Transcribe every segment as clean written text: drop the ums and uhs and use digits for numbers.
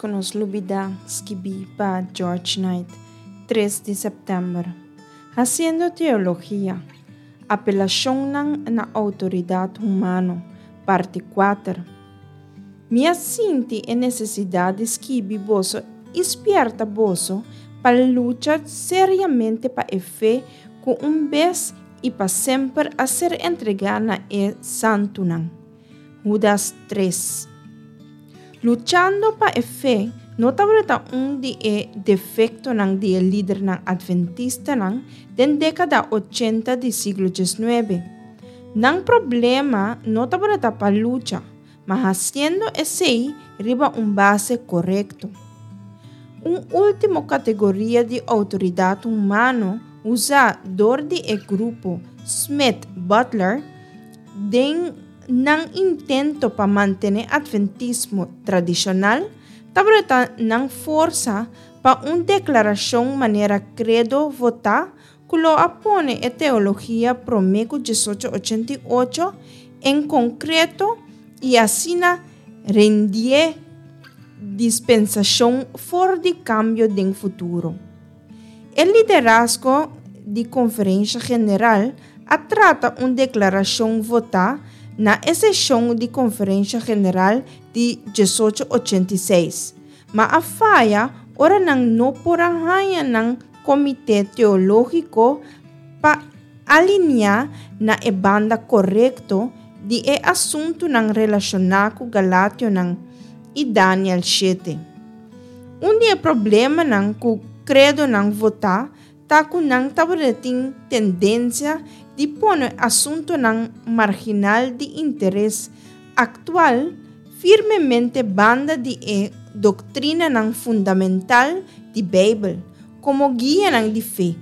ku nos lubidá skibí pa George Knight, tres di sèptèmber. Hasiendo teologia, Apelashonnan na outoridat humano, parti kuater. Mi a sinti e nesesidat di skibi boso i spièrta boso pa lucha seriamente pa e fe ku un bes i pa semper a ser entregá na e santunan. Hudas tres. Luchando pa e fe no tabata un di e defektonan di e lidernan atventistanan den dékada ochenta di siglo diesnuebe. Nan problema no tabata pa lucha, ma hasiendo esei riba un base korekto. Un último kategoria di outoridat humano usá dor di e grupo Smith-Butler den nan intento pa mantené atventismo tradishonal tabata nan forsa pa un deklarashon manera kredo votá ku lo a pone e teologia promé ku diesocho ochenta i ocho en konkreto i asina rendié dispensashon for di kambio den futuro. E liderazgo di Konferensha General a trata un deklarashon votá na e seshon di Konferensha General di diesocho ochenta i seis, ma a faya ora nan no por a haña nan Komité Teológiko pa alineá na e banda korekto di e asuntunan relashoná ku Galationan i Daniel shete. Un di e problemanan ku kredonan votá ta ku nan tabata tin tendensia di pone asuntunan marginal di interes aktual firmemente banda di e doktrinanan fundamental di Beibel komo guianan di fe.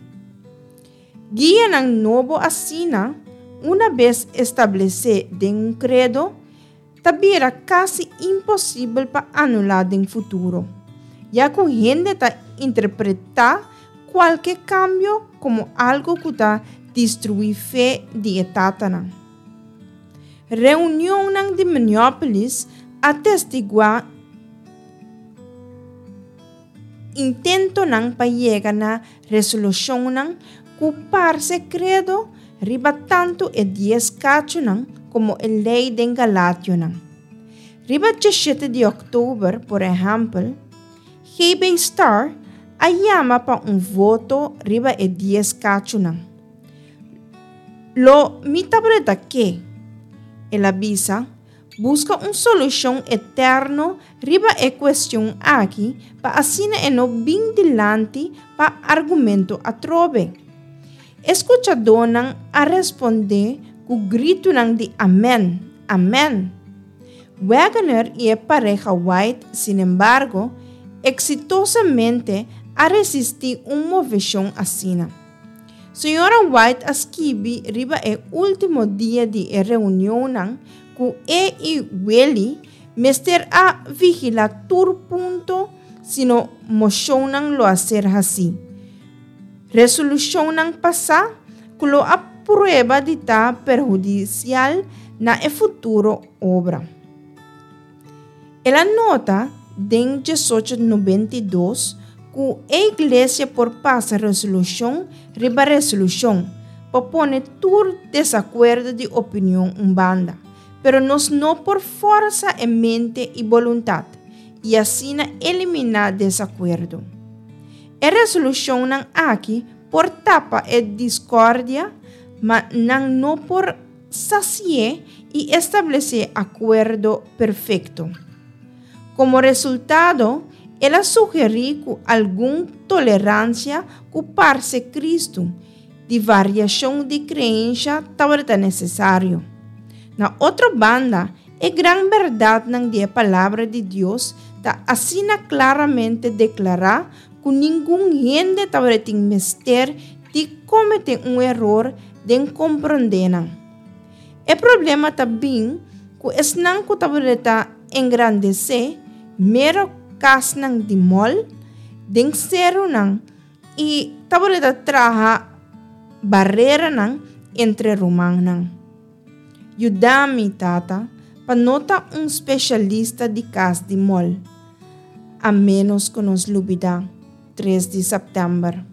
Guianan nobo asina, una bes establesé den un kredo, ta bira kasi imposibel pa anulá den futuro, ya ku hende ta interpretá kualke kambio komo algu ku ta destruí fe di e tatanan. Reunionnan di Minneapolis a testiguá intentonan pa yega na resolushonnan ku parse kredo riba tantu e dies kachunan komo e lei den Galationan. Riba djeshete di òktober, por ehèmpel, GB. Starr a yama pa un voto riba e dies kachunan. Lo mi tabreta ke, el a bisa, buska un solushon eterno riba e kuestion aki pa asina e no bin dilanti pa argumento atrobe. E skuchadónan a respondé ku gritunan di Amèn! Amèn! Wagoner i e pareha White, sinembargo, eksitosamente a resistí un moveshon asina. Señora White a skibi riba e último dia di e reunionnan ku e i Willie mester a vigilá tur punto sino moshonnan lo a ser hasí. Resolushonnan pasá ku lo a prueba di ta perhudisial na e futuro obra. El a nota den diesocho nobenta i dos ku e iglesia por pasa resolushon riba resolushon pa pone tur desakuerdo di opinion un banda, pero nos no por fòrsa e mente i boluntat i asina eliminá desakuerdo. E resolushonnan aki por tapa e diskòrdia, ma nan no por Sasié i establesé akuerdo perfekto. Komo resultado, el a sugerí ku algun toleransia ku parse Kristu di variashon di kreensha tabata nesesario. Na otro banda, e gran bèrdatnan di e Palabra di Dios ta asina klaramente deklará ku ningun hende tabatin mester di kometé un eror den komprondé nan. E problema ta bin ku esnan ku tabata engrandesé mero kasnan di mòl den serunan i tabata traha bareranan entre rumannan. Yuda mi, Tata, pa no ta un speshalista di kas di mòl. A ménos ku nos lubidá 3 di sèptèmber.